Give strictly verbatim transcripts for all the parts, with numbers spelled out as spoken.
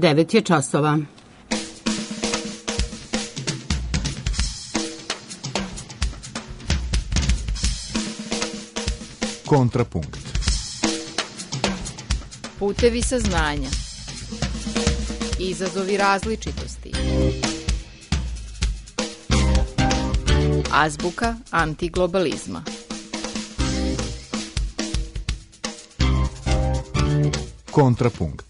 devet je časova. Kontrapunkt. Putevi saznanja. Izazovi različitosti. Azbuka antiglobalizma. Kontrapunkt.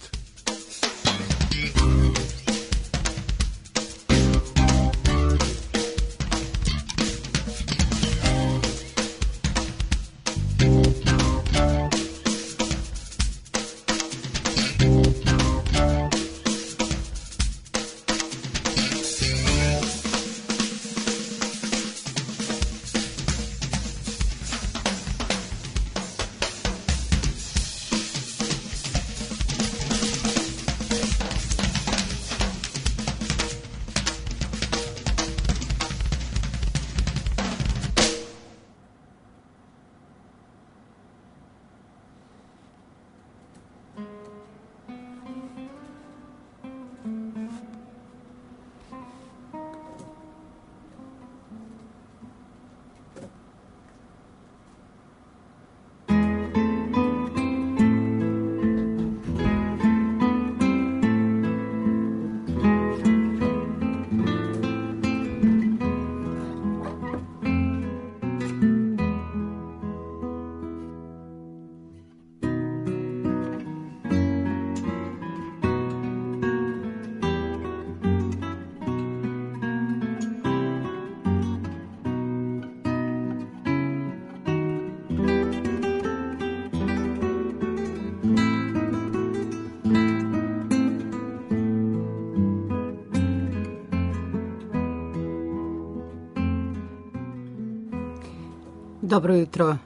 Dobro jutro,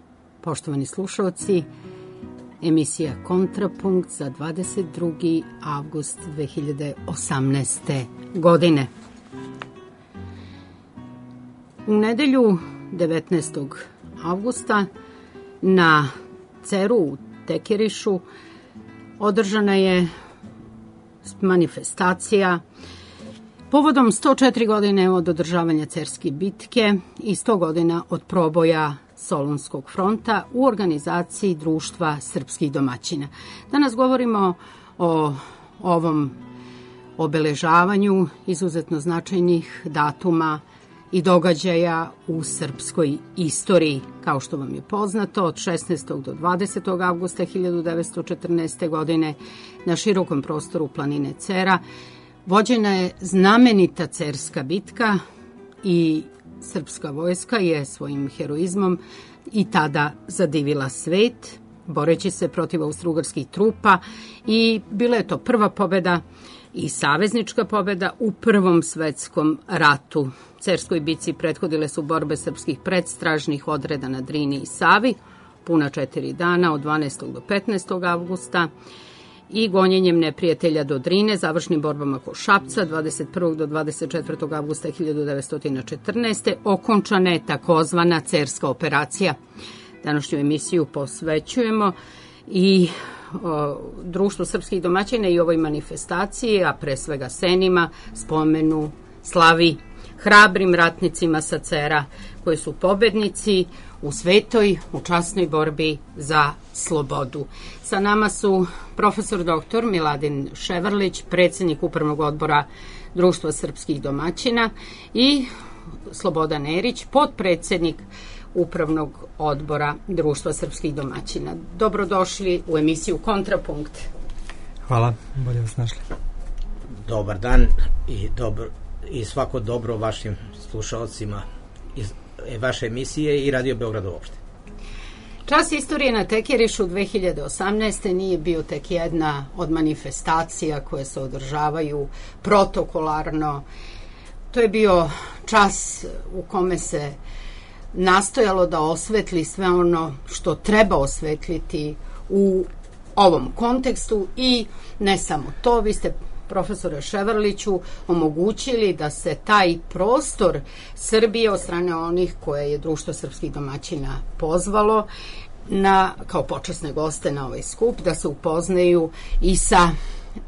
poštovani slušalci. Emisija Kontrapunkt za dvadeset drugi avgust dve hiljade osamnaeste. godine. U nedelju devetnaestog avgusta na Ceru u Tekirišu održana je manifestacija povodom sto četiri godine od održavanja Cerske bitke i sto godina od proboja Solunskog fronta u organizaciji Društva srpskih domaćina. Danas govorimo o ovom obeležavanju izuzetno značajnih datuma i događaja u srpskoj istoriji. Kao što vam je poznato, od šesnaestog do dvadesetog avgusta hiljadu devetsto četrnaeste. godine na širokom prostoru planine Cera vođena je znamenita Cerska bitka i srpska vojska je svojim heroizmom i tada zadivila svet, boreći se protiv austrougarskih trupa, i bila je to prva pobeda i saveznička pobeda u Prvom svetskom ratu. Cerskoj bitci prethodile su borbe srpskih predstražnih odreda na Drini i Savi, puna četiri dana od dvanaestog do petnaestog avgusta, i gonjenjem neprijatelja do Drine, završnim borbama kod Šapca dvadeset prvog do dvadeset četvrtog avgusta hiljadu devetsto četrnaeste. okončana je takozvana Cerska operacija. Današnju emisiju posvećujemo i o, Društvu srpskih domaćina i ovoj manifestaciji, a pre svega Senima, spomenu, slavi, hrabrim ratnicima sa Cera koji su pobednici u svetoj, u časnoj borbi za slobodu. Sa nama su profesor doktor Miladin Ševarlić, predsjednik Upravnog odbora Društva srpskih domaćina, i Slobodan Erić, potpredsjednik Upravnog odbora Društva srpskih domaćina. Dobrodošli u emisiju Kontrapunkt. Hvala, bolje vas našli. Dobar dan i, dobro, i svako dobro vašim slušalcima iz vaše emisije i Radio Beograd uopšte. Čas istorije na Tekirišu dve hiljade osamnaeste. nije bio tek jedna od manifestacija koje se održavaju protokolarno. To je bio čas u kome se nastojalo da osvetli sve ono što treba osvetliti u ovom kontekstu, i ne samo to, vi ste, profesore Ševarliću, omogućili da se taj prostor Srbije od strane onih koje je Društvo srpskih domaćina pozvalo na, kao počasne goste na ovaj skup, da se upoznaju i sa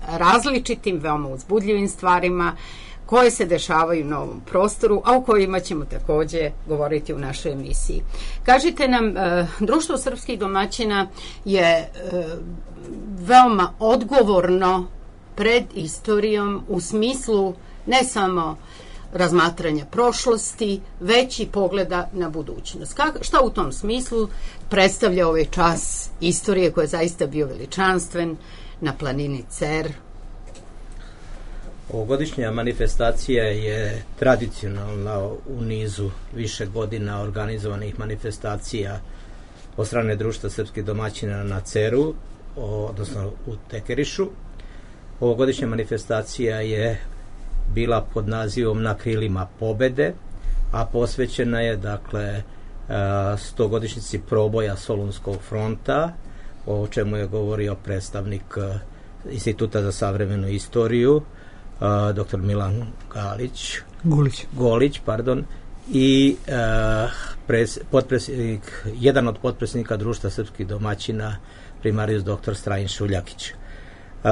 različitim, veoma uzbudljivim stvarima koje se dešavaju na ovom prostoru, a o kojima ćemo takođe govoriti u našoj emisiji. Kažite nam, Društvo srpskih domaćina je veoma odgovorno pred istorijom u smislu ne samo razmatranja prošlosti, već i pogleda na budućnost. Kako, šta u tom smislu predstavlja ovaj čas istorije koji je zaista bio veličanstven na planini Cer? Ovogodišnja manifestacija je tradicionalna u nizu više godina organizovanih manifestacija od strane Društva srpskih domaćina na Ceru, odnosno u Tekerišu. Ovogodišnja manifestacija je bila pod nazivom Na krilima pobede, a posvećena je dakle stogodišnjici proboja Solunskog fronta, o čemu je govorio predstavnik Instituta za savremenu istoriju, doktor Milan Galić, Gulić. Golić, pardon, i pres, potpredsjednik, jedan od potpredsjednika Društva srpskih domaćina, primarius doktor Strajin Šuljakić. Uh,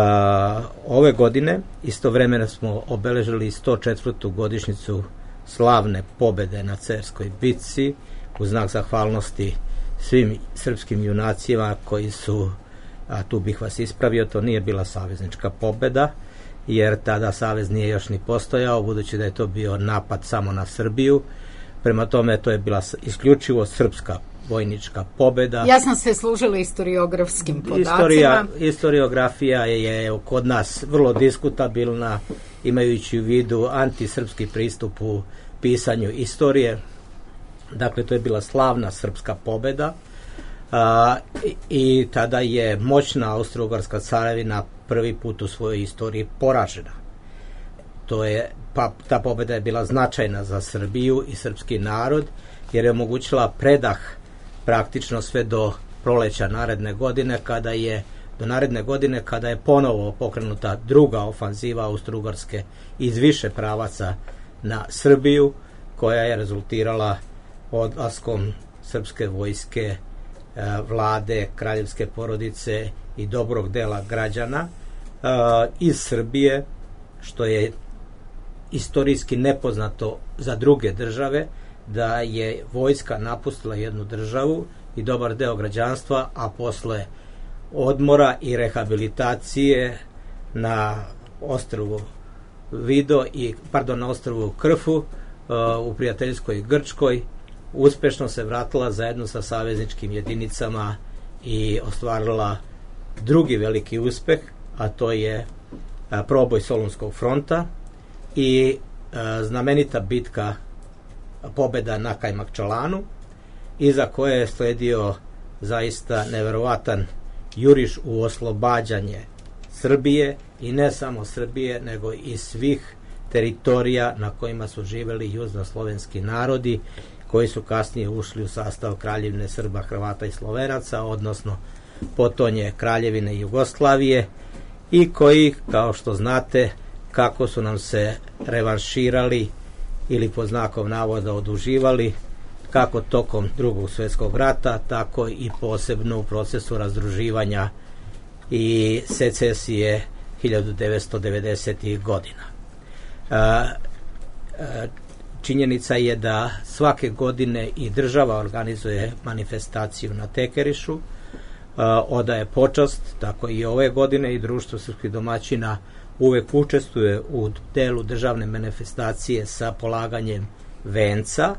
ove godine istovremeno smo obeležili sto četvrtu godišnjicu slavne pobede na Cerskoj bitci u znak zahvalnosti svim srpskim junacima koji su, a tu bih vas ispravio, to nije bila saveznička pobeda, jer tada savez nije još ni postojao, budući da je to bio napad samo na Srbiju. Prema tome, to je bila isključivo srpska vojnička pobeda. Ja sam se služila historiografskim podacima. Istorija, historiografija je kod nas vrlo diskutabilna, imajući u vidu antisrpski pristup u pisanju istorije. Dakle, to je bila slavna srpska pobeda a, i, i tada je moćna Austro-Ugarska carevina prvi put u svojoj istoriji poražena. To je, pa, ta pobeda je bila značajna za Srbiju i srpski narod, jer je omogućila predah praktično sve do proleća naredne godine, kada je do naredne godine kada je ponovo pokrenuta druga ofanziva Austro-Ugarske iz više pravaca na Srbiju, koja je rezultirala odlaskom srpske vojske, vlade, kraljevske porodice i dobrog dela građana iz Srbije, što je istorijski nepoznato za druge države, da je vojska napustila jednu državu i dobar deo građanstva, a posle odmora i rehabilitacije na ostrvu Vido i pardon na ostrvu Krfu uh, u prijateljskoj Grčkoj uspešno se vratila zajedno sa savezničkim jedinicama i ostvarila drugi veliki uspeh, a to je uh, proboj Solunskog fronta i uh, znamenita bitka pobeda na Kajmakčalanu, iza koje je sledio zaista neverovatan juriš u oslobađanje Srbije, i ne samo Srbije, nego i svih teritorija na kojima su živeli južnoslovenski narodi, koji su kasnije ušli u sastav Kraljevine Srba, Hrvata i Slovenaca, odnosno potonje Kraljevine Jugoslavije, i koji, kao što znate, kako su nam se revanširali ili pod znakom navoda oduživali, kako tokom Drugog svjetskog rata, tako i posebno u procesu razdruživanja i secesije hiljadu devetsto devedesetih godina. Činjenica je da svake godine i država organizuje manifestaciju na Tekerišu, odaje počast, tako i ove godine, i Društvo srpskih domaćina uvek učestvuje u delu državne manifestacije sa polaganjem venca.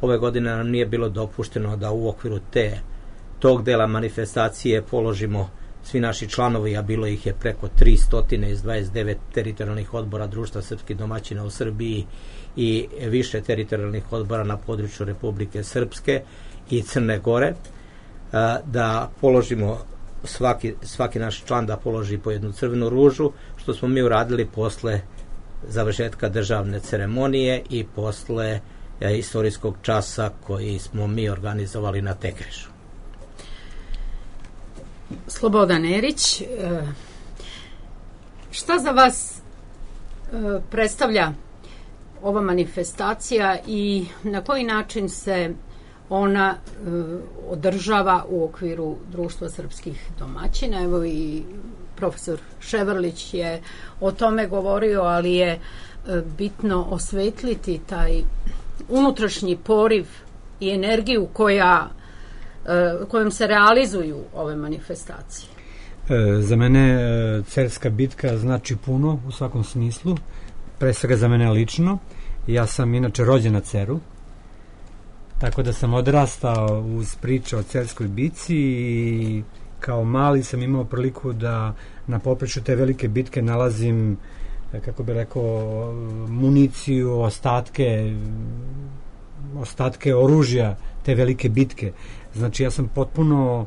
Ove godine nam nije bilo dopušteno da u okviru te, tog dela manifestacije položimo svi naši članovi, a bilo ih je preko tristo iz dvadeset devet teritorijalnih odbora Društva srpskih domaćina u Srbiji i više teritorijalnih odbora na području Republike Srpske i Crne Gore, da položimo svaki, svaki naš član da položi po jednu crvenu ružu, što smo mi uradili posle završetka državne ceremonije i posle istorijskog časa koji smo mi organizovali na Tekerišu. Slobodan Erić, šta za vas predstavlja ova manifestacija i na koji način se ona održava u okviru Društva srpskih domaćina? Evo i profesor Ševrlić je o tome govorio, ali je bitno osvetliti taj unutrašnji poriv i energiju koja, kojom se realizuju ove manifestacije. E, za mene Cerska bitka znači puno u svakom smislu, pre svega za mene lično. Ja sam inače rođen na Ceru, tako da sam odrastao uz priče o Cerskoj bitci i kao mali sam imao priliku da na poprečju te velike bitke nalazim, kako bi rekao, municiju, ostatke ostatke oružja te velike bitke. Znači ja sam potpuno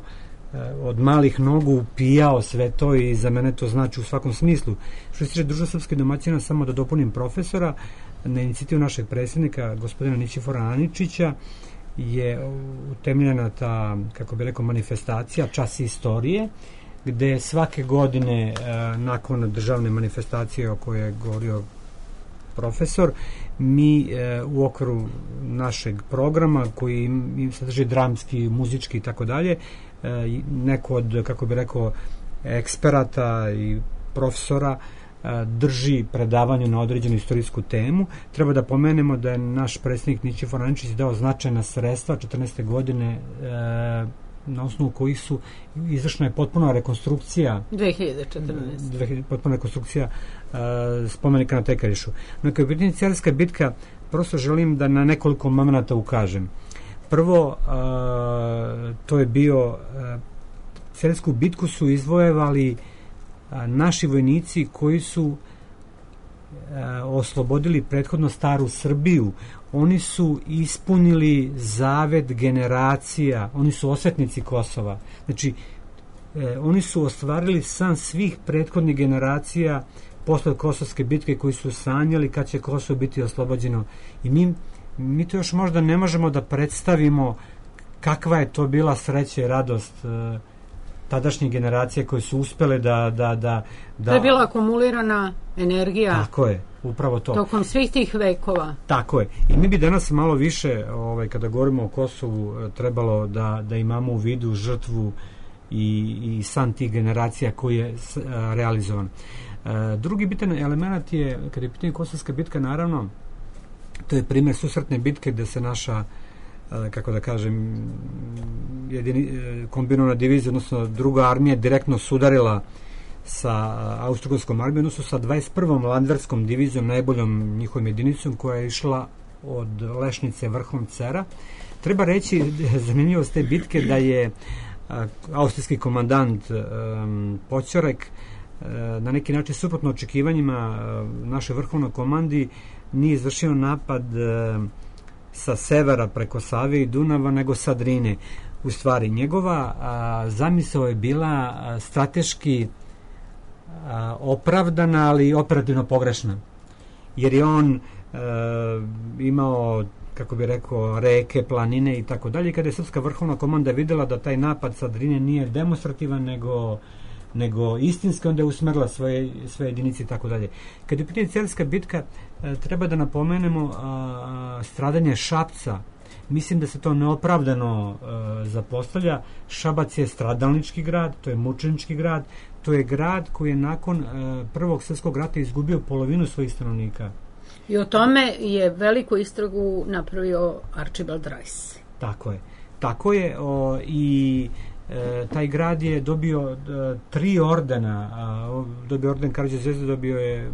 od malih nogu pijao sve to i za mene to znači u svakom smislu. Što se tiče Društva srpskih domaćina, samo da dopunim profesora, na inicijativu našeg predsjednika, gospodina Nićifora Aničića, je utemeljena ta, kako bi rekao, manifestacija Čas istorije, gde svake godine nakon državne manifestacije o kojoj je govorio profesor, mi u okviru našeg programa koji im sadrži dramski, muzički i tako dalje, neko od, kako bi rekao, eksperata i profesora drži predavanje na određenu istorijsku temu. Treba da pomenemo da je naš predsjednik Nićifor Aničić dao značajna sredstva četrnaeste godine, na osnovu kojih su izvršena je potpuna rekonstrukcija dve hiljade četrnaeste. potpuna rekonstrukcija uh, spomenika na Tekarišu. No, kao je pitanje Cerska bitka, prosto želim da na nekoliko momenata ukažem. Prvo, uh, to je bio uh, Cersku bitku su izvojevali uh, naši vojnici koji su uh, oslobodili prethodno staru Srbiju. Oni su ispunili zavet generacija, oni su osvetnici Kosova. Znači, e, oni su ostvarili san svih prethodnih generacija posle Kosovske bitke koji su sanjali kad će Kosovo biti oslobođeno. I mi, mi to još možda ne možemo da predstavimo kakva je to bila sreća i radost e, tadašnje generacije koje su uspele da, da, da, da... To je bila akumulirana energija. Tako je, upravo to. Tokom svih tih vekova. Tako je. I mi bi danas malo više, ovaj, kada govorimo o Kosovu, trebalo da, da imamo u vidu žrtvu i, i san tih generacija koji je s, a, realizovan. A, drugi bitan element je, kada je pitanje Kosovska bitka, naravno, to je primjer susretne bitke gde se naša, a, kako da kažem, jedini, kombinovana divizija, odnosno druga armija direktno sudarila sa Austro-Ugarskom armijom, odnosno sa dvadeset prvom landverskom divizijom, najboljom njihovom jedinicom, koja je išla od Lešnice vrhom Cera. Treba reći, zanimljivost te bitke, da je a, austrijski komandant um, Poćorek a, na neki način suprotno očekivanjima a, naše vrhovnoj komandi nije izvršio napad a, sa severa preko Save i Dunava, nego sa Drine. U stvari, njegova a, zamisao je bila a, strateški a, opravdana, ali operativno pogrešna. Jer je on e, imao, kako bi rekao, reke, planine i tako dalje. Kada je srpska vrhovna komanda videla da taj napad sa Drine nije demonstrativan, nego, nego istinski, onda je usmerila svoje, svoje jedinice i tako dalje. Kada je pitanje Cerska bitka, e, treba da napomenemo a, stradanje Šapca. Mislim da se to neopravdano e, zapostavlja. Šabac je stradalnički grad, to je mučenički grad, to je grad koji je nakon e, Prvog svjetskog rata izgubio polovinu svojih stanovnika. I o tome je veliku istragu napravio Archibald Rice. Tako je. Tako je o, i e, taj grad je dobio e, tri ordena. A, dobio orden Karađorđe Zvezde, dobio je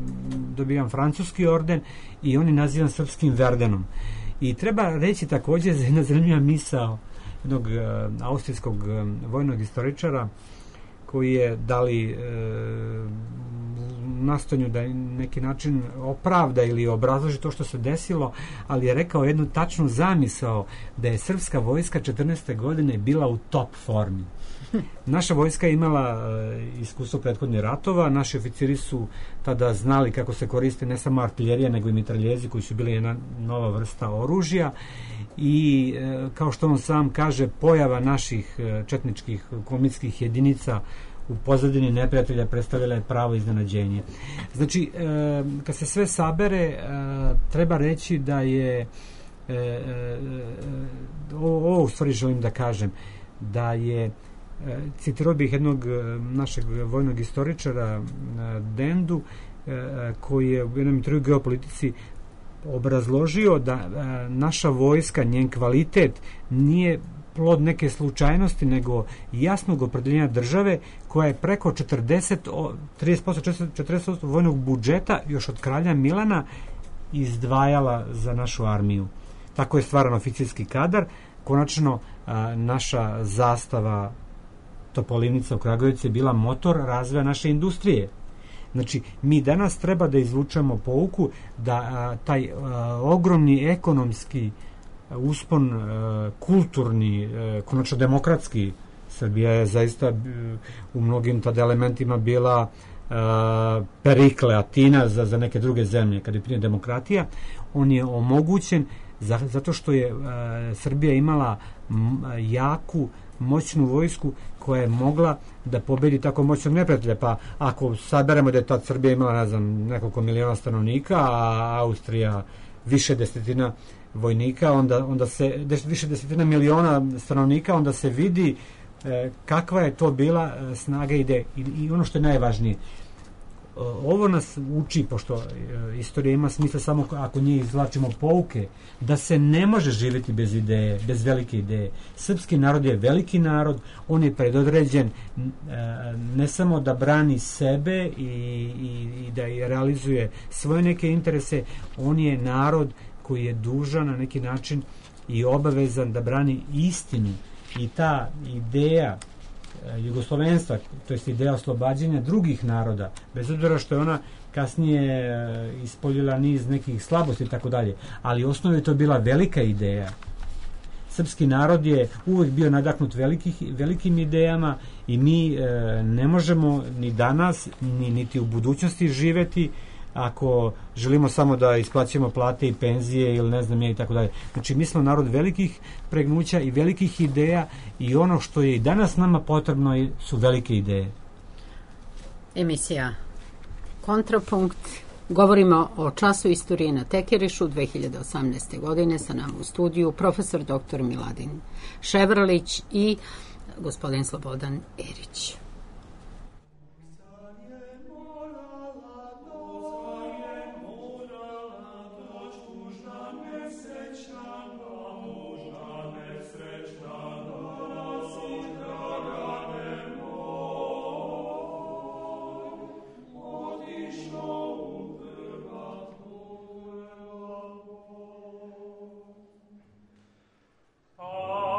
dobio jedan francuski orden i on je nazivan srpskim Verdenom. I treba reći također za jedna zanimljiva misao jednog e, austrijskog e, vojnog istoričara koji je dali e, nastojanju da neki način opravda ili obrazloži to što se desilo, ali je rekao jednu tačnu zamisao da je srpska vojska četrnaeste godine bila u top formi. Naša vojska je imala e, iskustvo prethodnih ratova, naši oficiri su tada znali kako se koriste ne samo artiljerija, nego i mitraljezi koji su bili jedna nova vrsta oružja i e, kao što on sam kaže, pojava naših e, četničkih komitskih jedinica u pozadini neprijatelja predstavljala je pravo iznenađenje. Znači, e, kad se sve sabere, e, treba reći da je e, e, ovo u stvari želim da kažem, da je citirao bih jednog našeg vojnog istoričara Dendu, koji je u jednom intervju geopolitici obrazložio da naša vojska, njen kvalitet nije plod neke slučajnosti, nego jasnog opredeljenja države koja je preko četrdeset, trideset posto, četrdeset posto vojnog budžeta još od kralja Milana izdvajala za našu armiju. Tako je stvaran oficirski kadar. Konačno, a, naša zastava Topolivnica u Kragujevcu je bila motor razvoja naše industrije. Znači, mi danas treba da izvučemo pouku da a, taj a, ogromni ekonomski uspon, a, kulturni, a, konačno demokratski, Srbija je zaista a, u mnogim tada elementima bila a, Perikle, Atina za, za neke druge zemlje, kada je prije demokratija, on je omogućen za, zato što je a, Srbija imala m, jaku, moćnu vojsku koja je mogla da pobedi tako moćnog neprijatelja. Pa ako saberemo da je tad Srbija imala, ne znam, nekoliko miliona stanovnika, a Austrija više desetina vojnika, onda, onda se, des, više desetina miliona stanovnika, onda se vidi e, kakva je to bila e, snaga ide. I, I ono što je najvažnije, ovo nas uči, pošto e, istorija ima smisla samo ako njih izvlačimo pouke, da se ne može živjeti bez ideje, bez velike ideje. Srpski narod je veliki narod, on je predodređen e, ne samo da brani sebe i, i, i da i realizuje svoje neke interese, on je narod koji je dužan na neki način i obavezan da brani istinu. I ta ideja jugoslovenstva, to jest ideja oslobađanja drugih naroda, bez obzira što je ona kasnije ispoljila niz nekih slabosti i tako dalje, ali u osnovi je to bila velika ideja. Srpski narod je uvek bio nadahnut velikih, velikim idejama i mi e, ne možemo ni danas, ni, niti u budućnosti živeti ako želimo samo da isplaćujemo plate i penzije ili ne znam ja i tako dalje. Znači, mi smo narod velikih pregnuća i velikih ideja i ono što je i danas nama potrebno su velike ideje. Emisija Kontrapunkt. Govorimo o času istorije na Tekerišu dve hiljade osamnaeste. godine. Sa nama u studiju profesor doktor Miladin Ševrlić i gospodin Slobodan Erić. Oh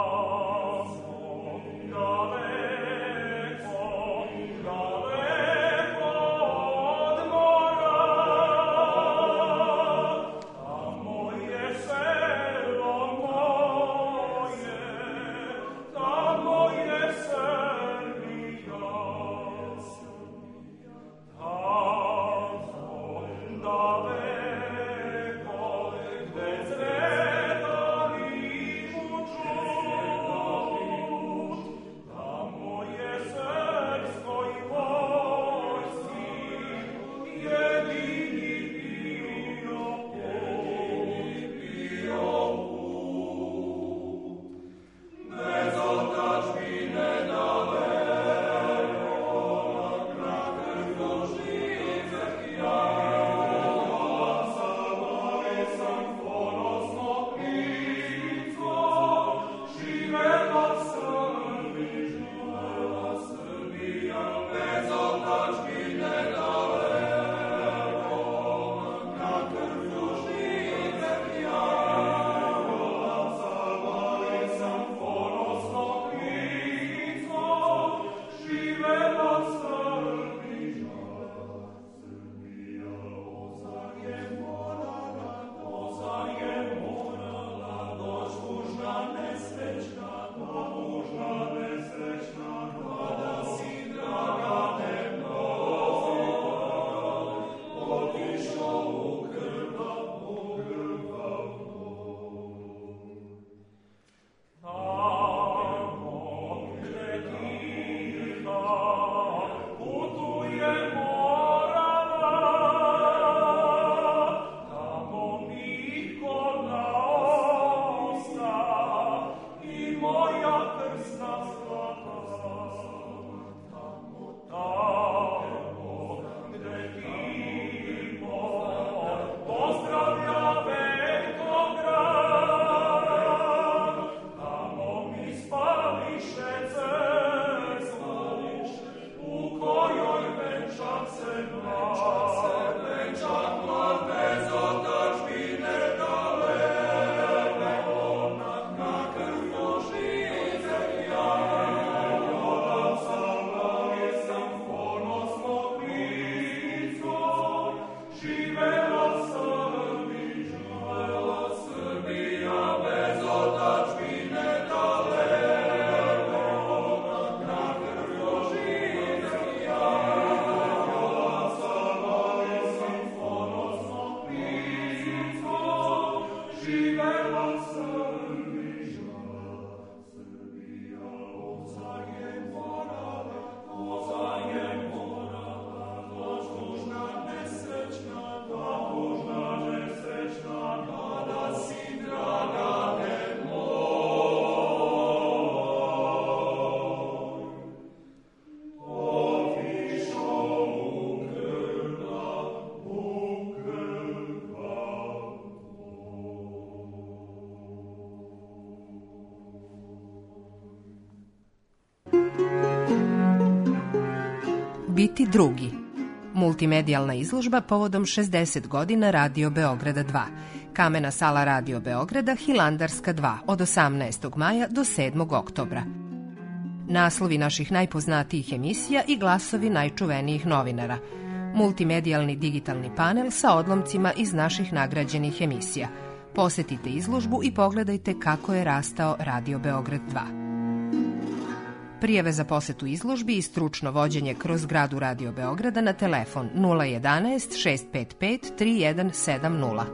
Biti drugi. Multimedijalna izložba povodom šezdeset godina Radio Beograda dva. Kamena sala Radio Beograda, Hilandarska dva, od osamnaestog maja do sedmog oktobra. Naslovi naših najpoznatijih emisija i glasovi najčuvenijih novinara. Multimedijalni digitalni panel sa odlomcima iz naših nagrađenih emisija. Posetite izložbu i pogledajte kako je rastao Radio Beograd dva. Prijave za posetu izložbi i stručno vođenje kroz zgradu Radio Beograda na telefon nula jedanaest šest pet pet tri jedan sedam nula.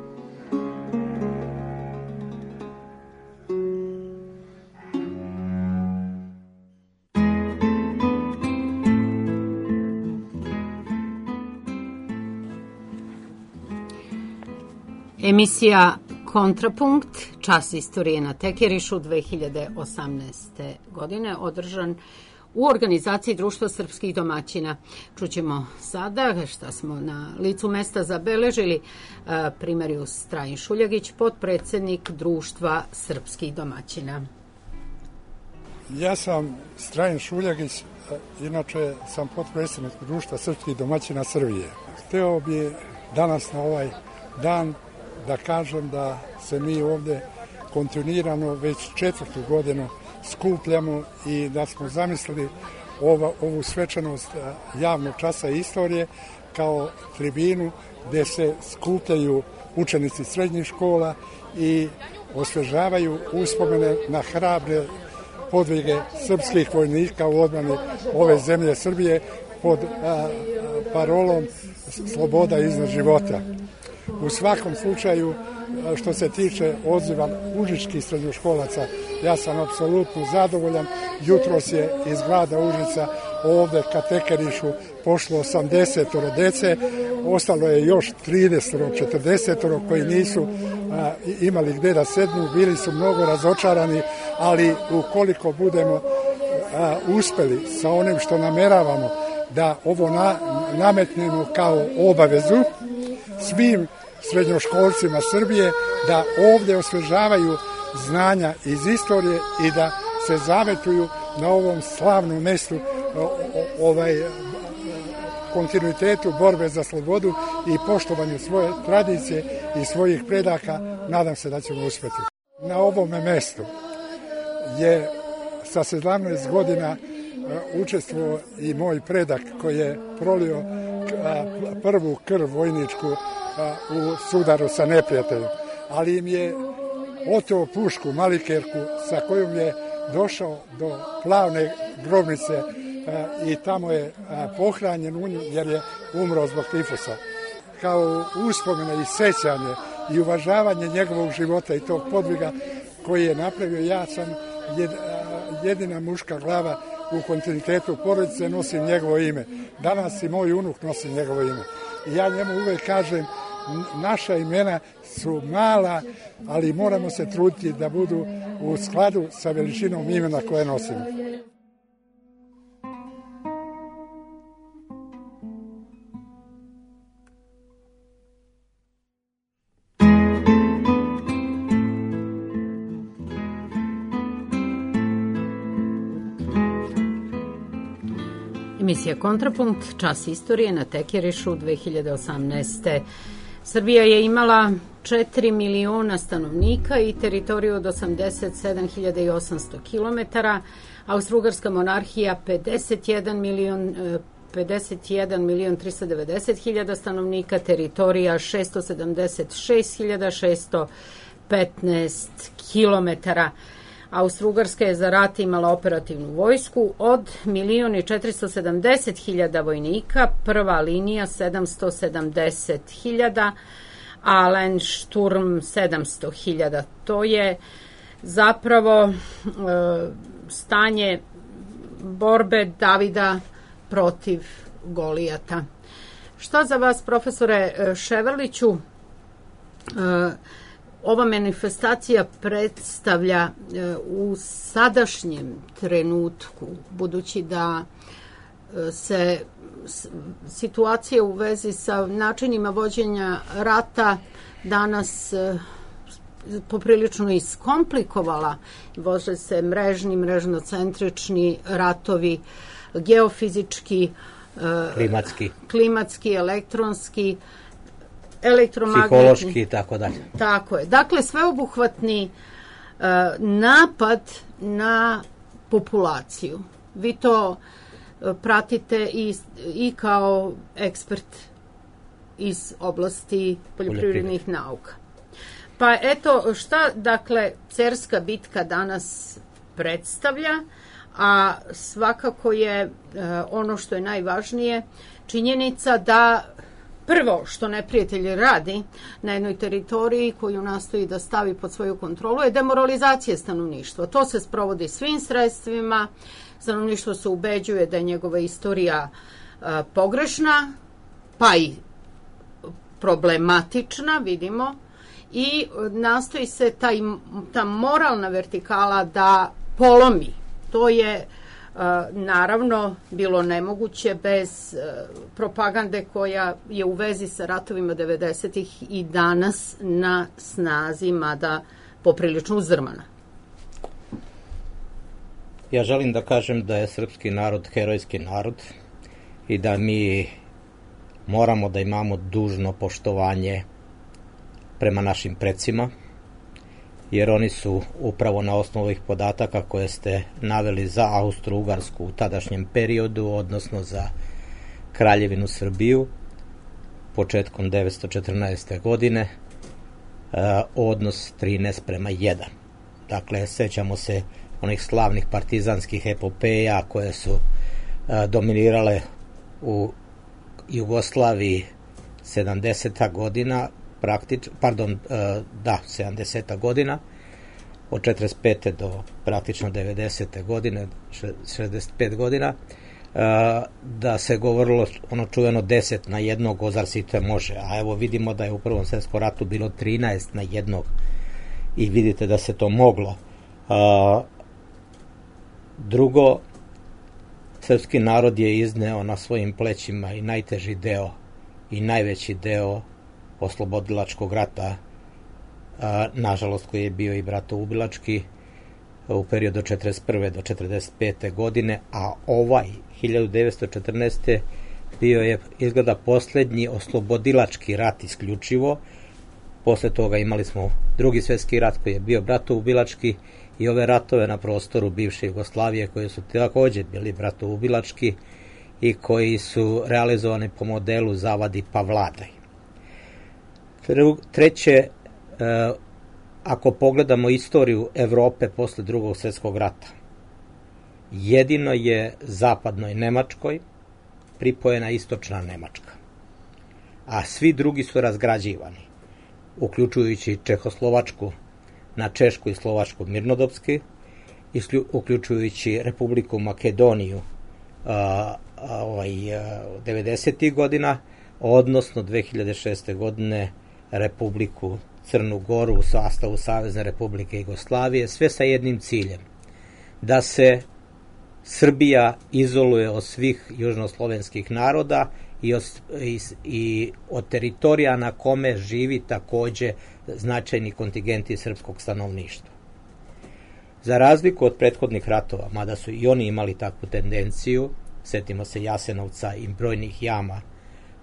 Emisija Kontrapunkt, čas istorije na Tekerišu dve hiljade osamnaeste. godine, održan u organizaciji Društva srpskih domaćina. Čućemo sada šta smo na licu mesta zabeležili. Primarius Trajin Šuljagić, potpredsednik Društva srpskih domaćina. Ja sam Trajin Šuljagić, inače sam potpredsednik Društva srpskih domaćina Srbije. Hteo bi danas na ovaj dan da kažem da se mi ovde kontinuirano već četvrtu godinu skupljamo i da smo zamislili ova, ovu svečanost javnog časa istorije kao tribinu gde se skupljaju učenici srednjih škola i osvežavaju uspomene na hrabre podvige srpskih vojnika u odbrani ove zemlje Srbije pod a, parolom sloboda iznad života. U svakom slučaju, što se tiče odziva užičkih srednjoškolaca, ja sam apsolutno zadovoljan. Jutros je iz grada Užica ovde ka Tekerišu pošlo osamdeset dece, ostalo je još trideset četrdeset koji nisu a, imali gde da sednu, bili su mnogo razočarani, ali ukoliko budemo a, uspeli sa onim što nameravamo da ovo na, nametnemo kao obavezu svim srednjoškolcima Srbije da ovde osvežavaju znanja iz istorije i da se zavetuju na ovom slavnom mestu ovaj kontinuitetu borbe za slobodu i poštovanju svoje tradicije i svojih predaka, nadam se da ćemo uspeti. Na ovome mestu je sa sedamnaest godina učestvovao i moj predak koji je prolio prvu krv vojničku u sudaru sa neprijateljem, ali im je oteo pušku, malikerku, sa kojom je došao do Plavne grobnice i tamo je pohranjen u nju jer je umro zbog tifusa. Kao uspomene i sećanje i uvažavanje njegovog života i tog podviga koji je napravio, ja sam jedina muška glava u kontinuitetu porodice, nosim njegovo ime. Danas i moj unuk nosi njegovo ime. I ja njemu uvek kažem, naša imena su mala, ali moramo se truditi da budu u skladu sa veličinom imena koje nosimo. Emisija Kontrapunkt, čas istorije na Tekerišu dve hiljade osamnaeste. Srbija je imala četiri miliona stanovnika i teritoriju od osamdeset sedam hiljada i osamsto kilometara, Austrougarska monarhija pedeset jedan milion, pedeset jedan milion tristo devedeset hiljada stanovnika, teritorija šesto sedamdeset šest hiljada šesto petnaest kilometara. Austrougarska je za rat imala operativnu vojsku od milion i četiristo sedamdeset hiljada vojnika, prva linija sedamsto sedamdeset hiljada, a Landsturm sedamsto hiljada. To je zapravo e, stanje borbe Davida protiv Golijata. Šta za vas, profesore Ševarliću, e, ova manifestacija predstavlja u sadašnjem trenutku, budući da se situacija u vezi sa načinima vođenja rata danas poprilično iskomplikovala, vože se mrežni, mrežnocentrični ratovi, geofizički, klimatski, klimatski, elektronski, elektromagnetni. Psihološki i tako dalje. Tako je. Dakle, sveobuhvatni uh, napad na populaciju. Vi to uh, pratite i, i kao ekspert iz oblasti poljoprivrednih nauka. Pa eto, šta, dakle, Cerska bitka danas predstavlja, a svakako je uh, ono što je najvažnije, činjenica da prvo što neprijatelj radi na jednoj teritoriji koju nastoji da stavi pod svoju kontrolu je demoralizacija stanovništva. To se sprovodi svim sredstvima, stanovništvo se ubeđuje da je njegova istorija uh, pogrešna, pa i problematična, vidimo, i nastoji se taj, ta moralna vertikala da polomi. To je naravno bilo nemoguće bez propagande koja je u vezi sa ratovima devedesetih i danas na snazi, mada poprilično uzdrmana. Ja želim da kažem da je srpski narod herojski narod i da mi moramo da imamo dužno poštovanje prema našim precima, jer oni su upravo na osnovu ovih podataka koje ste naveli za Austro-Ugarsku u tadašnjem periodu, odnosno za Kraljevinu Srbiju, početkom devetsto četrnaeste. godine, odnos trinaest prema jedan. Dakle, sećamo se onih slavnih partizanskih epopeja koje su dominirale u Jugoslaviji sedamdeseta godina, praktič, pardon, da, sedamdeseta godina, od četrdeset pete do praktično devedesete godine, šezdeset pet godina, da se govorilo ono čuveno deset na jednog, ozar si te može, a evo vidimo da je u Prvom svjetskom ratu bilo trinaest na jednog i vidite da se to moglo. Drugo, srpski narod je izneo na svojim plećima i najteži deo i najveći deo oslobodilačkog rata, a, nažalost koji je bio i bratoubilački u periodu od četrdeset prve do četrdeset pete. godine, a ovaj hiljadu devetsto četrnaeste. bio je izgleda poslednji oslobodilački rat isključivo. Posle toga imali smo drugi svjetski rat koji je bio bratoubilački i ove ratove na prostoru bivše Jugoslavije koji su također bili bratoubilački i koji su realizovani po modelu zavadi pa vladaj. Treće, ako pogledamo istoriju Evrope posle drugog svjetskog rata, jedino je zapadnoj Nemačkoj pripojena istočna Nemačka, a svi drugi su razgrađivani, uključujući Čehoslovačku na Češku i Slovačku mirnodopski, uključujući Republiku Makedoniju a, a, ovaj, devedesetih godina, odnosno dve hiljade šeste. godine Republiku Crnu Goru u sastavu Savezne Republike Jugoslavije, sve sa jednim ciljem, da se Srbija izoluje od svih južnoslovenskih naroda i od, i, i od teritorija na kome živi takođe značajni kontingenti srpskog stanovništva. Za razliku od prethodnih ratova, mada su i oni imali takvu tendenciju, setimo se Jasenovca i brojnih jama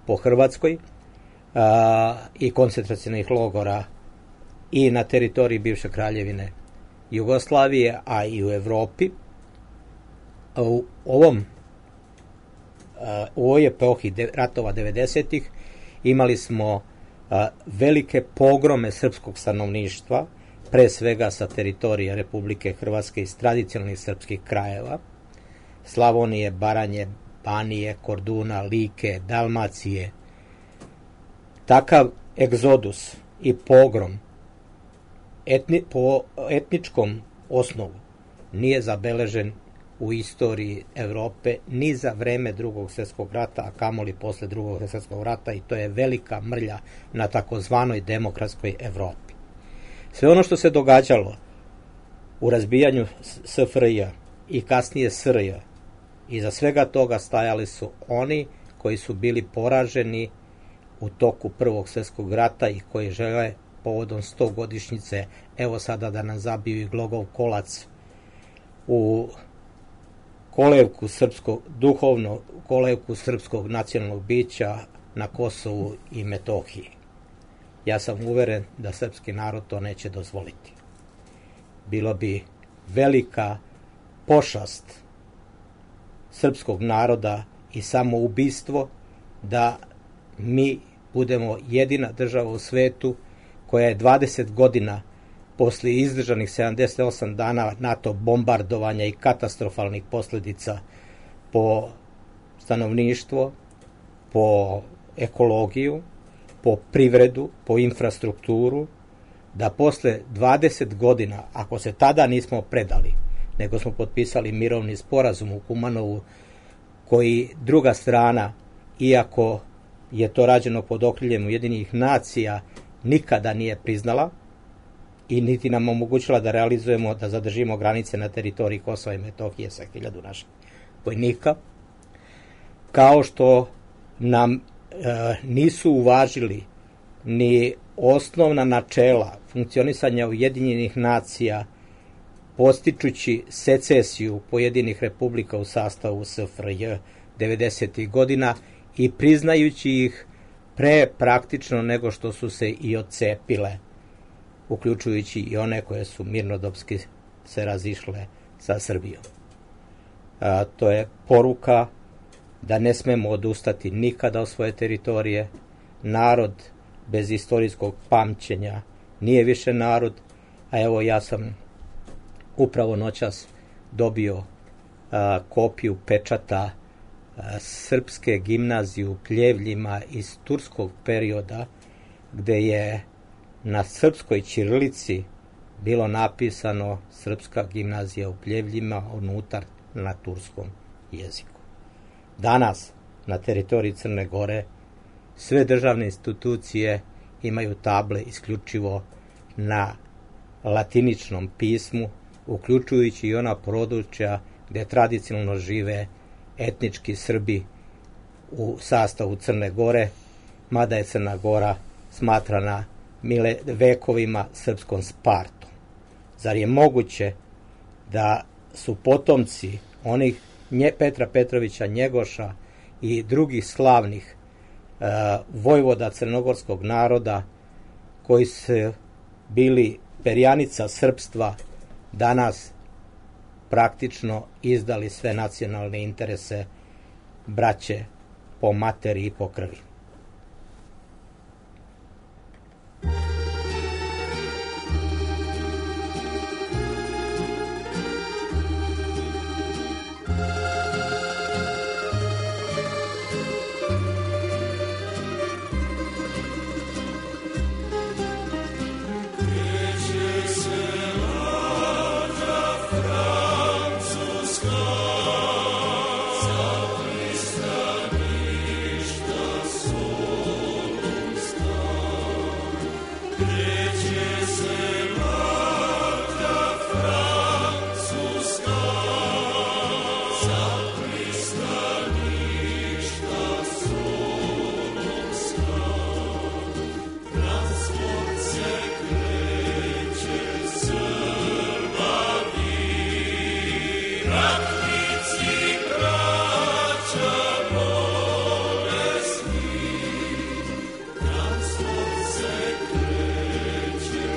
po Hrvatskoj, a, i koncentracionih logora i na teritoriji bivše Kraljevine Jugoslavije, a i u Evropi. U ovom u ovoj epohi ratova devedesetih imali smo velike pogrome srpskog stanovništva, pre svega sa teritorija Republike Hrvatske iz tradicionalnih srpskih krajeva, Slavonije, Baranje, Banije, Korduna, Like, Dalmacije. Takav egzodus i pogrom etni, po etničkom osnovu nije zabeležen u istoriji Evrope ni za vreme drugog svjetskog rata, a kamoli posle drugog svjetskog rata, i to je velika mrlja na takozvanoj demokratskoj Evropi. Sve ono što se događalo u razbijanju S F R J i kasnije S R J, iza svega toga stajali su oni koji su bili poraženi u toku Prvog svjetskog rata i koji žele povodom stogodišnjice evo sada da nam zabiju i glogov kolac u kolevku srpskog, duhovno kolevku srpskog nacionalnog bića na Kosovu i Metohiji. Ja sam uveren da srpski narod to neće dozvoliti. Bilo bi velika pošast srpskog naroda i samoubistvo da mi budemo jedina država u svetu koja je dvadeset godina posle izdržanih sedamdeset osam dana NATO bombardovanja i katastrofalnih posljedica po stanovništvo, po ekologiju, po privredu, po infrastrukturu, da posle dvadeset godina, ako se tada nismo predali, nego smo potpisali mirovni sporazum u Kumanovu, koji druga strana, iako je to rađeno pod okriljem Ujedinjenih nacija, nikada nije priznala i niti nam omogućila da realizujemo, da zadržimo granice na teritoriji Kosova i Metohije sa hiljadu naših vojnika, kao što nam e, nisu uvažili ni osnovna načela funkcionisanja Ujedinjenih nacija, postičući secesiju pojedinih republika u sastavu S F R J devedesetih godina i priznajući ih pre praktično nego što su se i odcepile, uključujući i one koje su mirnodopski se razišle sa Srbijom. A, to je poruka da ne smemo odustati nikada od svoje teritorije. Narod bez istorijskog pamćenja nije više narod, a evo ja sam upravo noćas dobio a, kopiju pečata a, srpske gimnazije u Pljevljima iz turskog perioda, gde je na srpskoj ćirilici bilo napisano Srpska gimnazija u Pljevljima, unutar na turskom jeziku. Danas na teritoriji Crne Gore sve državne institucije imaju table isključivo na latiničnom pismu, uključujući i ona područja gde tradicionalno žive etnički Srbi u sastavu Crne Gore, mada je Crna Gora smatrana mile vekovima srpskom Spartom. Zar je moguće da su potomci onih nje Petra Petrovića Njegoša i drugih slavnih e, vojvoda crnogorskog naroda, koji su bili perjanica srpstva, danas praktično izdali sve nacionalne interese braće po materi i po krvi? Transport se kreće,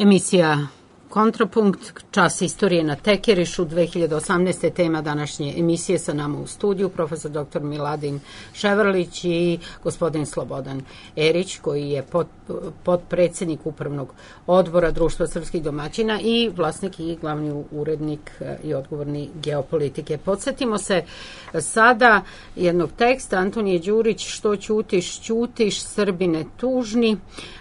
Emisija Kontrapunkt, čas istorije na Tekerišu, dve hiljade osamnaeste. tema današnje emisije. Sa nama u studiju profesor doktor Miladin Ševrlić i gospodin Slobodan Erić, koji je pod, podpredsednik upravnog odbora Društva srpskih domaćina i vlasnik i glavni urednik i odgovorni geopolitike. Podsjetimo se sada jednog teksta Antonije Đurić, Što ćutiš, ćutiš, Srbine tužni.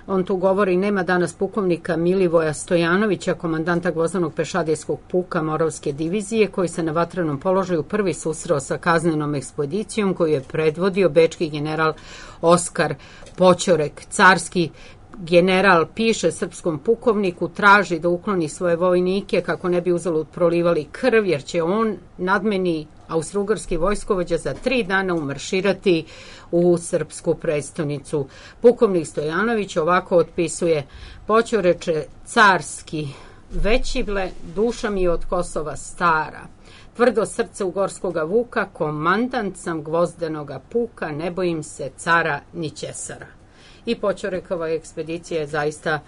On tu govori, nema danas pukovnika Milivoja Stojanovića, komandanta gvozdanog pešadijskog puka Moravske divizije, koji se na vatrenom položaju prvi susreo sa kaznenom ekspedicijom koju je predvodio bečki general Oskar Poćorek. Carski general piše srpskom pukovniku, traži da ukloni svoje vojnike kako ne bi uzalud prolivali krv, jer će on, nadmeni austrougarski vojskovođa, za tri dana umarširati u srpsku prestonicu. Pukovnik Stojanović ovako otpisuje: Poćoreče carski većivle, duša mi od Kosova stara, tvrdo srce ugorskoga vuka, komandant sam gvozdenoga puka, ne bojim se cara ni ćesara. I Poćorekova ekspedicija je zaista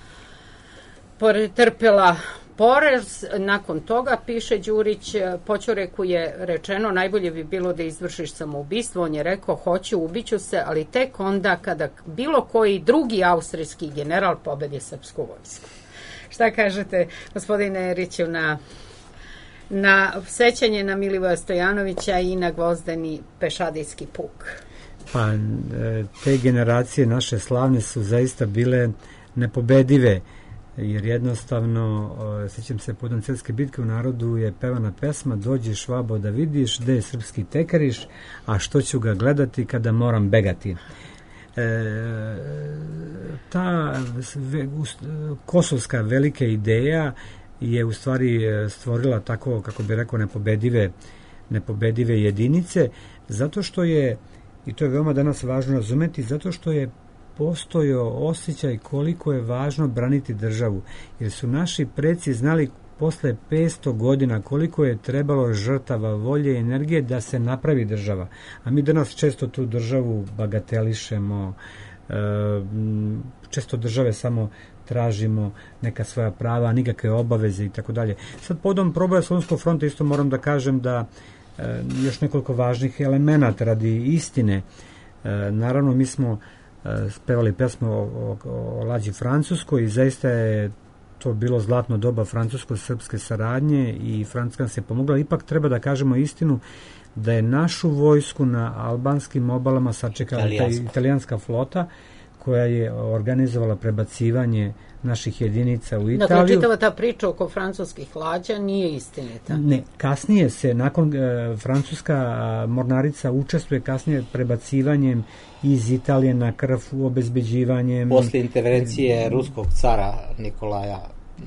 pretrpela poraz. Nakon toga, piše Đurić, Poćoreku je rečeno, najbolje bi bilo da izvršiš samoubistvo. On je rekao, hoću, ubiću se, ali tek onda kada bilo koji drugi austrijski general pobedi srpsku vojsku. Šta kažete, gospodine Eriću, na, na sećanje na Milivoja Stojanovića i na gvozdeni pešadijski puk? Pa, te generacije naše slavne su zaista bile nepobedive, jer jednostavno, sećam se, povodom Cerske bitke u narodu je pevana pesma Dođi švabo da vidiš, gde je srpski tekariš, a što ću ga gledati kada moram begati. E, ta ve, kosovska velika ideja je u stvari stvorila tako, kako bi rekao, nepobedive, nepobedive jedinice, zato što je, i to je veoma danas važno razumeti, zato što je postojao osjećaj koliko je važno braniti državu, jer su naši preci znali posle petsto godina koliko je trebalo žrtava, volje i energije da se napravi država. A mi danas često tu državu bagatelišemo, često države samo tražimo neka svoja prava, nikakve obaveze i tako dalje. Sad podom proboja Solunskog fronta isto moram da kažem da još nekoliko važnih elemenata radi istine. Naravno, mi smo spevali pesmu o, o, o lađi Francuskoj i zaista je to bilo zlatno doba francusko-srpske saradnje i Francuska se pomogla. Ipak treba da kažemo istinu da je našu vojsku na albanskim obalama sačekala Italijanska. italijanska flota koja je organizovala prebacivanje naših jedinica u Italiju. Dakle, čitava ta priča oko francuskih lađa nije istinita. Ne, kasnije se, nakon e, francuska mornarica učestvuje kasnije prebacivanjem iz Italije na Krfu, obezbeđivanjem... Posle intervencije ruskog cara Nikolaja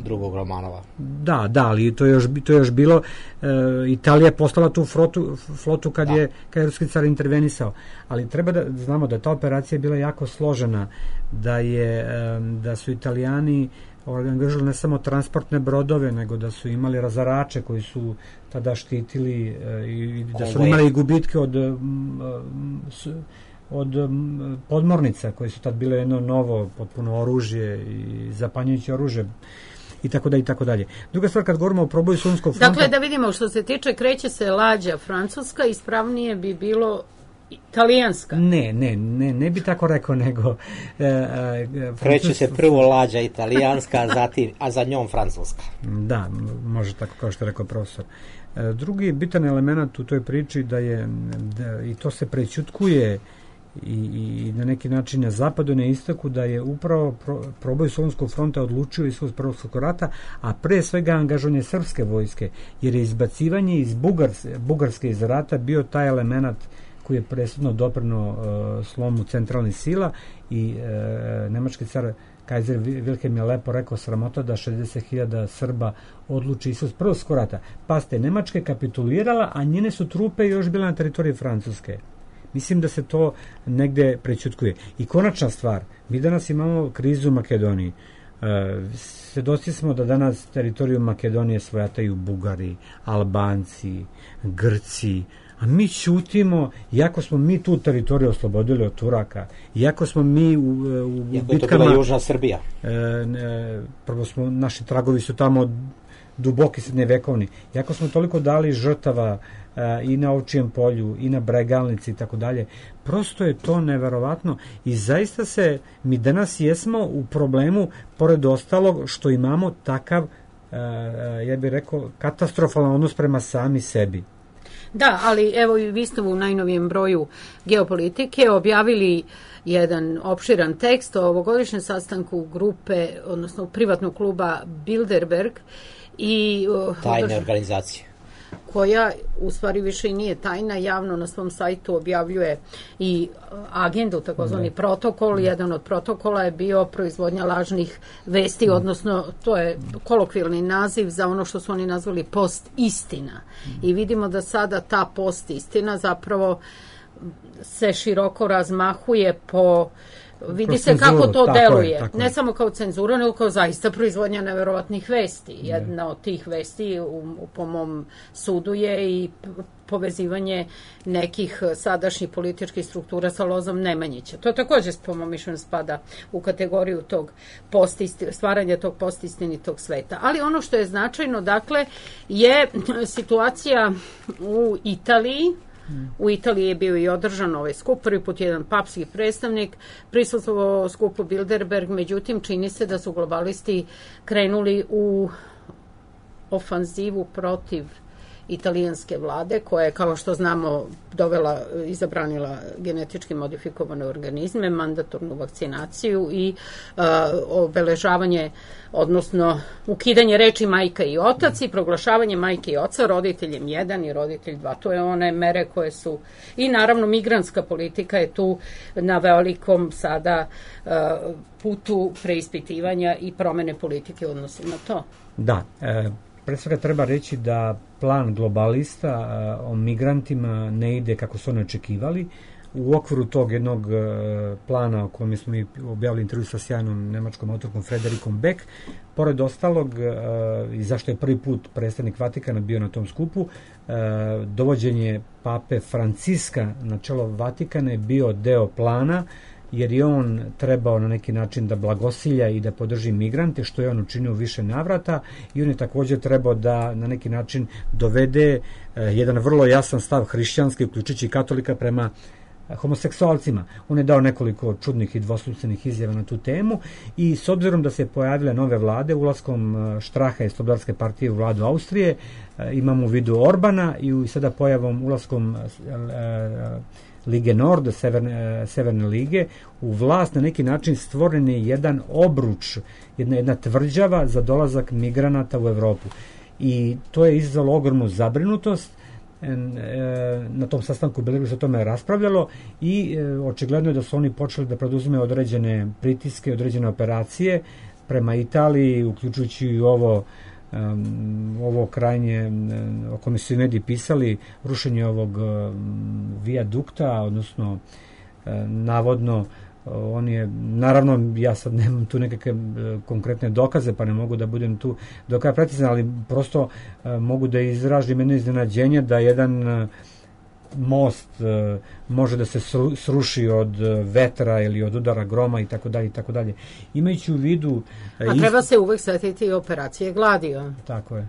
drugog Romanova. Da, da, ali to je još, to je još bilo, e, Italija je postala tu flotu, flotu kad, da. je, kad je ruski car intervenisao. Ali treba da znamo da ta operacija je bila jako složena, da, je, e, da su Italijani angažovali ne samo transportne brodove, nego da su imali razarače koji su tada štitili e, i da su imali gubitke od... E, s, od podmornica koje su tad bile jedno novo potpuno oružje i zapanjujuće oružje i tako da i tako dalje. Druga stvar, kad govorimo o proboju Solunskog fronta... Dakle, da vidimo, što se tiče, kreće se lađa francuska, ispravnije bi bilo italijanska. Ne, ne, ne, ne bi tako rekao, nego... E, e, kreće se prvo lađa italijanska, a, zatim, a za njom francuska. Da, može tako kao što je rekao profesor. E, drugi bitan element u toj priči da je, da, i to se prećutkuje I, i na neki način na zapadu na istoku, da je upravo pro, proboj Solunskog fronta odlučio ishod Prvog svjetskog rata, a pre svega angažovanje srpske vojske, jer je izbacivanje iz Bugarske, Bugarske iz rata bio taj element koji je presudno doprino uh, slomu centralnih sila i uh, nemački car Kajzer Wilhelm je lepo rekao, sramota da šezdeset hiljada Srba odluči ishod Prvog svjetskog rata. Pazite, Nemačka je kapitulirala, a njene su trupe još bile na teritoriji Francuske. Mislim da se to negde prećutkuje. I konačna stvar, mi danas imamo krizu u Makedoniji. E, svedoci smo da danas teritoriju Makedonije svojataju Bugari, Albanci, Grci, a mi ćutimo, iako smo mi tu teritoriju oslobodili od Turaka, iako smo mi u, u iako bitkama... je to bila Južna Srbija. E, ne, prvo smo, naši tragovi su tamo duboki srednjevekovni, iako smo toliko dali žrtava e, i na Ovčijem polju, i na Bregalnici i tako dalje, prosto je to neverovatno i zaista se, mi danas jesmo u problemu, pored ostalog, što imamo takav, e, ja bih rekao, katastrofalan odnos prema sami sebi. Da, ali evo i vi ste u najnovijem broju Geopolitike objavili jedan opširan tekst o ovogodišnjem sastanku grupe, odnosno privatnog kluba Bilderberg i tajne organizacije, koja u stvari više i nije tajna, javno na svom sajtu objavljuje i agendu, takozvani protokol. Jedan od protokola je bio proizvodnja lažnih vesti, odnosno to je kolokvijalni naziv za ono što su oni nazvali post istina. I vidimo da sada ta post istina zapravo se široko razmahuje po... Vidi se kako to deluje, ne samo kao cenzura, nego kao zaista proizvodnja neverovatnih vesti. Jedna od tih vesti, u, po mom sudu, je i povezivanje nekih sadašnjih političkih struktura sa Lozom Nemanjića. To također, po mom mišljenju, spada u kategoriju tog postisti, stvaranja tog postistinitog sveta. Ali ono što je značajno, dakle, je situacija u Italiji. U Italiji je bio i održan ovaj skup, prvi put jedan papski predstavnik prisustvovao skupu Bilderberg, međutim čini se da su globalisti krenuli u ofanzivu protiv italijanske vlade, koja je, kao što znamo, dovela i zabranila genetički modifikovane organizme, mandatornu vakcinaciju i uh, obeležavanje, odnosno ukidanje reči majka i otac i proglašavanje majke i oca roditeljem jedan i roditelj dva. To je one mere koje su, i naravno migrantska politika je tu na velikom sada uh, putu preispitivanja i promene politike u odnosu na to. Da, e, pre svega treba reći da plan globalista a, o migrantima ne ide kako su oni očekivali. U okviru tog jednog a, plana o kojem smo mi objavili intervju sa sjajnom nemačkom autorkom Frederikom Beck, pored ostalog, a, i zašto je prvi put predstavnik Vatikana bio na tom skupu, a, dovođenje pape Franciska na čelo Vatikana je bio deo plana, jer je on trebao na neki način da blagosilja i da podrži migrante, što je on učinio više navrata, i on je također trebao da na neki način dovede eh, jedan vrlo jasan stav hrišćanski, uključujući katolika, prema homoseksualcima. On je dao nekoliko čudnih i dvosmislenih izjava na tu temu i s obzirom da se pojavile nove vlade, ulaskom Štraha i Slobodarske partije u vladu Austrije, imamo u vidu Orbana i sada pojavom ulaskom Lige Nord, Severne, Severne lige, u vlast na neki način stvoren je jedan obruč, jedna, jedna tvrđava za dolazak migranata u Evropu. I to je izazvalo ogromnu zabrinutost. Na tom sastanku Bilderberg se o tome raspravljalo i očigledno je da su oni počeli da preduzme određene pritiske, određene operacije prema Italiji, uključujući i ovo Um, ovo krajnje um, o kome su i mediji pisali, rušenje ovog um, vijadukta, odnosno uh, navodno uh, on je, naravno ja sad nemam tu nekakve uh, konkretne dokaze, pa ne mogu da budem tu do kraja precizan, ali prosto uh, mogu da izražim jedno iznenađenje da jedan uh, most uh, može da se sruši od uh, vetra ili od udara groma i tako dalje i tako dalje. Imajući u vidu uh, a treba ist... se uvek setiti operacije Gladio. Tako je.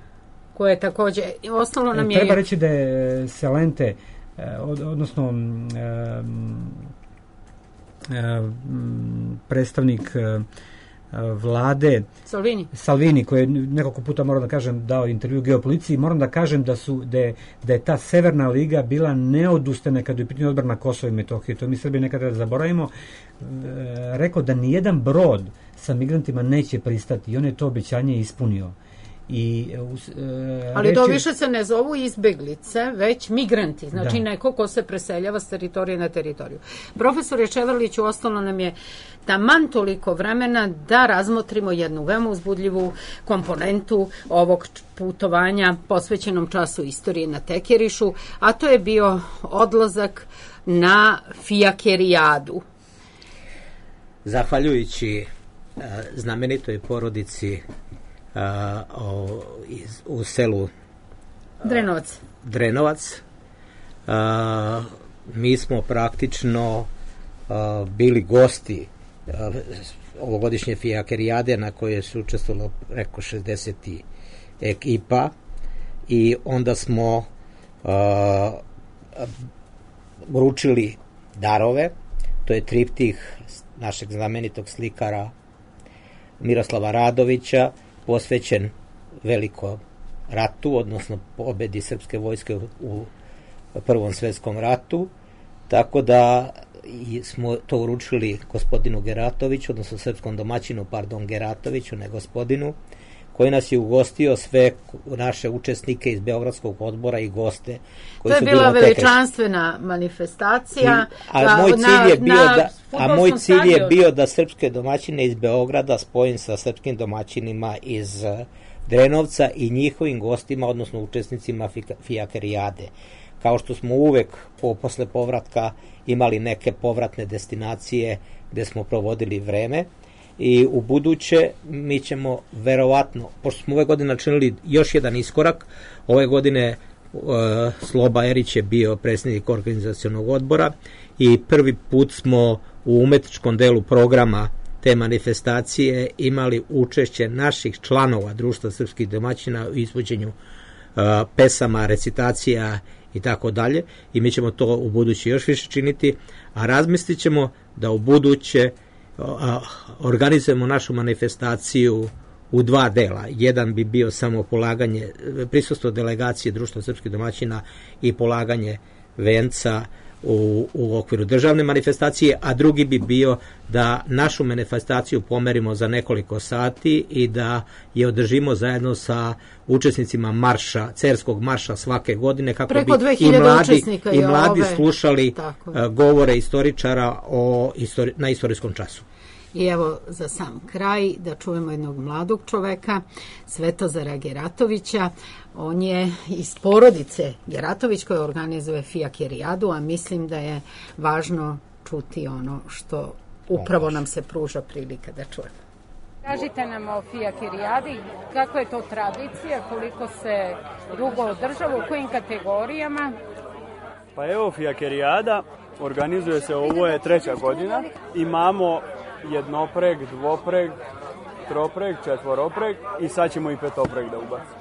Koje je takođe ostalo nam je... Treba reći da je Celente uh, od, odnosno um, um, predstavnik uh, vlade Salvini. Salvini, koji je nekoliko puta, moram da kažem, dao intervju Geopoliciji, moram da kažem da su da je, da je ta Severna liga bila neodustana kada je u pitanju odbrana Kosova i Metohije. To mi Srbi nekada zaboravimo. E, rekao da nijedan brod sa migrantima neće pristati i on je to obećanje ispunio. I, e, ali to reči... više se ne zovu izbeglice, već migranti, znači da. Neko ko se preseljava s teritorije na teritoriju. Profesor Čeverlić, ostalo nam je taman toliko vremena da razmotrimo jednu veoma uzbudljivu komponentu ovog putovanja posvećenom času istorije na Tekerišu, a to je bio odlazak na Fijakerijadu. Zahvaljujući uh, znamenitoj porodici Uh, o, iz, u selu uh, Drenovac. Drenovac a, mi smo praktično a, bili gosti a, ovogodišnje fijakerijade na koje su učestvovalo preko šezdeset ekipa i onda smo a, uručili darove. To je triptih našeg znamenitog slikara Miroslava Radovića, posvećen velikom ratu, odnosno pobedi srpske vojske u Prvom svetskom ratu, tako da smo to uručili gospodinu Geratoviću, odnosno srpskom domaćinu, pardon, Geratoviću, ne gospodinu, koji nas je ugostio sve naše učesnike iz Beogradskog odbora i goste. Koji to je su bila bilo veličanstvena manifestacija. I, a, moj cilj je bio da, a moj cilj je bio da srpske domaćine iz Beograda spojim sa srpskim domaćinima iz Drenovca i njihovim gostima, odnosno učesnicima fijakerijade. Kao što smo uvek po, posle povratka imali neke povratne destinacije gde smo provodili vreme, i u buduće mi ćemo verovatno, pošto smo ove godine načinili još jedan iskorak, ove godine uh, Sloba Erić je bio predsjednik organizacionog odbora i prvi put smo u umetničkom delu programa te manifestacije imali učešće naših članova Društva srpskih domaćina u izvođenju uh, pesama, recitacija i tako dalje, i mi ćemo to u buduće još više činiti, a razmislit ćemo da u buduće organizujemo našu manifestaciju u dva dela. Jedan bi bio samo polaganje, prisustvo delegacije Društva srpskih domaćina i polaganje venca u, u okviru državne manifestacije, a drugi bi bio da našu manifestaciju pomerimo za nekoliko sati i da je održimo zajedno sa učesnicima marša, cerskog marša svake godine, kako preko bi i mladi, i mladi ove... slušali uh, govore istoričara o istori, na istorijskom času. I evo za sam kraj da čujemo jednog mladog čoveka, Svetozara Geratovića. On je iz porodice Geratović koja organizuje fijakerijadu, a mislim da je važno čuti ono što upravo nam se pruža prilika da čujemo. Kažite nam o fijakerijadi, kako je to tradicija, koliko se dugo održava, u kojim kategorijama? Pa evo, fijakerijada organizuje se, ovo je treća godina, imamo jednopreg, dvopreg, tropreg, četvoropreg i sad ćemo i petopreg da ubacimo.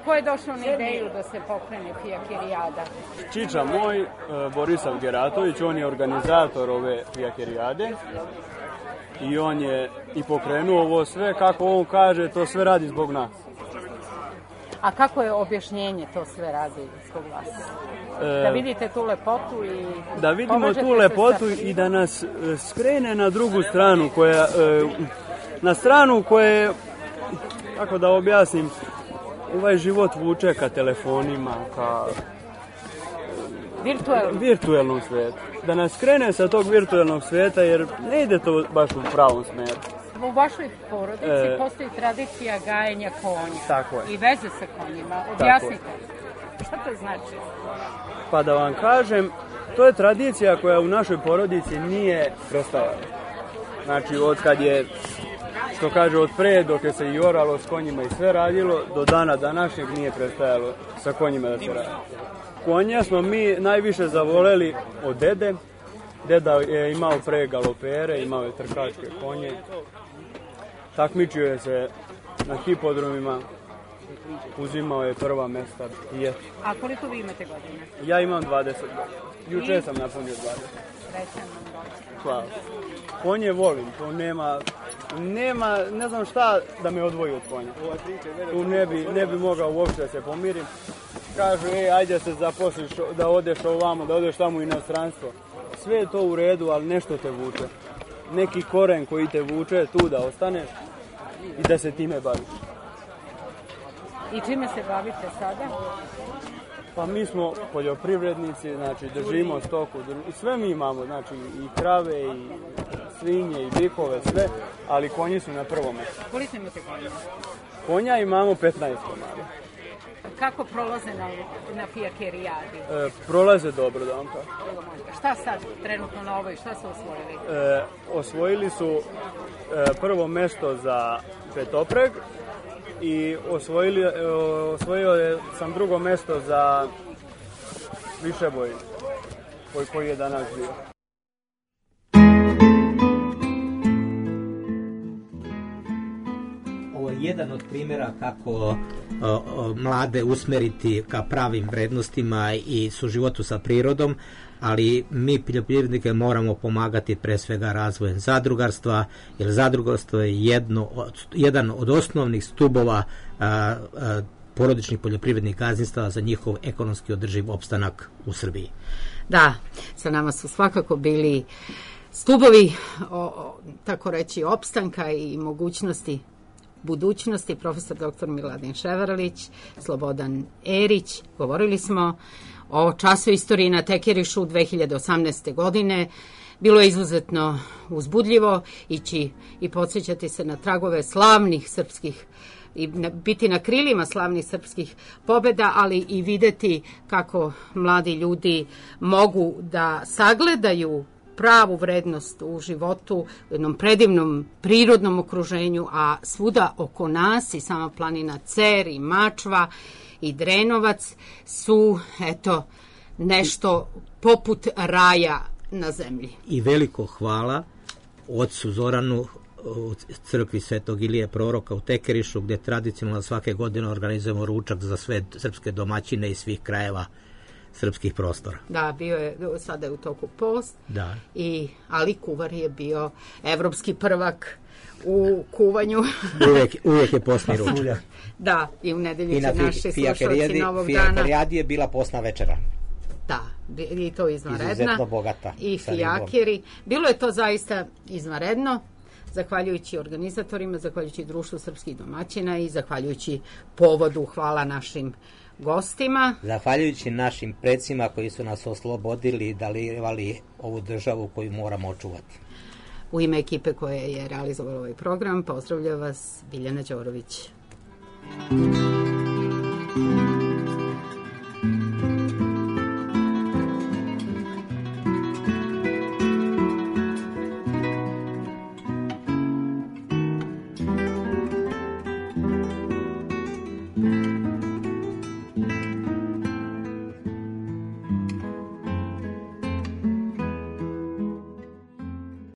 Ko je došao na ideju da se pokrene fijakerijada? Čiča moj, Borisav Geratović, on je organizator ove fijakerijade i on je i pokrenuo ovo sve, kako on kaže, to sve radi zbog nas. A kako je objašnjenje to sve radi zbog vas? Da vidite tu lepotu i da vidimo tu lepotu i da nas skrene na drugu stranu, koja, na stranu koje, kako da objasnim, ovaj život vuče ka telefonima, ka virtuelnom, virtuelnom svetu. Da nas skrene sa tog virtuelnog sveta, jer ne ide to baš u pravom smeru. U vašoj porodici e, postoji tradicija gajenja konja. Tako je. I veze sa konjima. Objasnite. Šta to znači? Pa da vam kažem, to je tradicija koja u našoj porodici nije prestajala. Znači, od kad je, što kaže, od pre, dok je se i oralo s konjima i sve radilo, do dana današnjeg nije prestajalo sa konjima da se radi. Konja smo mi najviše zavoleli od dede. Deda je imao pre galopere, imao je trkačke konje. Takmičio je se na hipodromima, uzimao je prva mesta i eto. A koliko vi imate godina? Ja imam dvadeset godina. Juče sam napunio dvadeset. Srećan vam rođendan. Hvala. Konje volim, to nema, nema, ne znam šta da me odvoji od konja. Tu ne bi, ne bi mogao uopšte da se pomirim. Kažu, ej, ajde se zaposliš, da odeš ovamo, da odeš tamo u inostranstvo. Sve je to u redu, ali nešto te vuče. Neki koren koji te vuče tu da ostaneš i da se time baviš. I čime se bavite sada? Pa mi smo poljoprivrednici, znači držimo stoku, i sve mi imamo, znači i krave, i svinje, i bikove, sve, ali konji su na prvom mjestu. Koliko imate konja? Konja imamo petnaest komada. Kako prolaze na, na fijakerijadi? E, prolaze dobro, da vam kažem. Šta sad trenutno na ovoj, šta su osvojili? E, osvojili su e, prvo mesto za petopreg i osvojili, e, osvojio je sam drugo mesto za Višeboj koji, koji je danas bio. Ovo je jedan od primjera kako o, o, mlade usmeriti ka pravim vrednostima i suživotu sa prirodom, ali mi poljoprivrednike moramo pomagati pre svega razvojem zadrugarstva, jer zadrugarstvo je jedno od, jedan od osnovnih stubova a, a, porodičnih poljoprivrednih gazdinstava za njihov ekonomski održiv opstanak u Srbiji. Da, sa nama su svakako bili stubovi, o, o, tako reći, opstanka i mogućnosti budućnosti, profesor doktor Miladin Ševarlić, Slobodan Erić. Govorili smo o času istoriji na Tekerišu dve hiljade osamnaeste. godine. Bilo je izuzetno uzbudljivo ići i podsjećati se na tragove slavnih srpskih i biti na krilima slavnih srpskih pobjeda, ali i videti kako mladi ljudi mogu da sagledaju pravu vrednost u životu, u jednom predivnom prirodnom okruženju, a svuda oko nas i sama planina Cer i Mačva i Drenovac su, eto, nešto poput raja na zemlji. I veliko hvala ocu Zoranu u crkvi Svetog Ilije Proroka u Tekerišu, gde tradicionalno svake godine organizujemo ručak za sve srpske domaćine iz svih krajeva srpskih prostora. Da, bio je, sada je u toku post, da. I Ali kuvar je bio evropski prvak u kuvanju. uvijek, uvijek je postni ručak. Da, i u nedelju I će na naši slušalci Novog dana. Fijakerijadi je bila postna večera. Da, i to izvanredna. Izuzetno bogata. I fijakeri. Bilo je to zaista izvanredno, zahvaljujući organizatorima, zahvaljujući Društvu srpskih domaćina i zahvaljujući povodu. Hvala našim gostima. Zahvaljujući našim predsima koji su nas oslobodili i darivali ovu državu koju moramo očuvati. U ime ekipe koja je realizovala ovaj program, pozdravlja vas Biljana Đorović.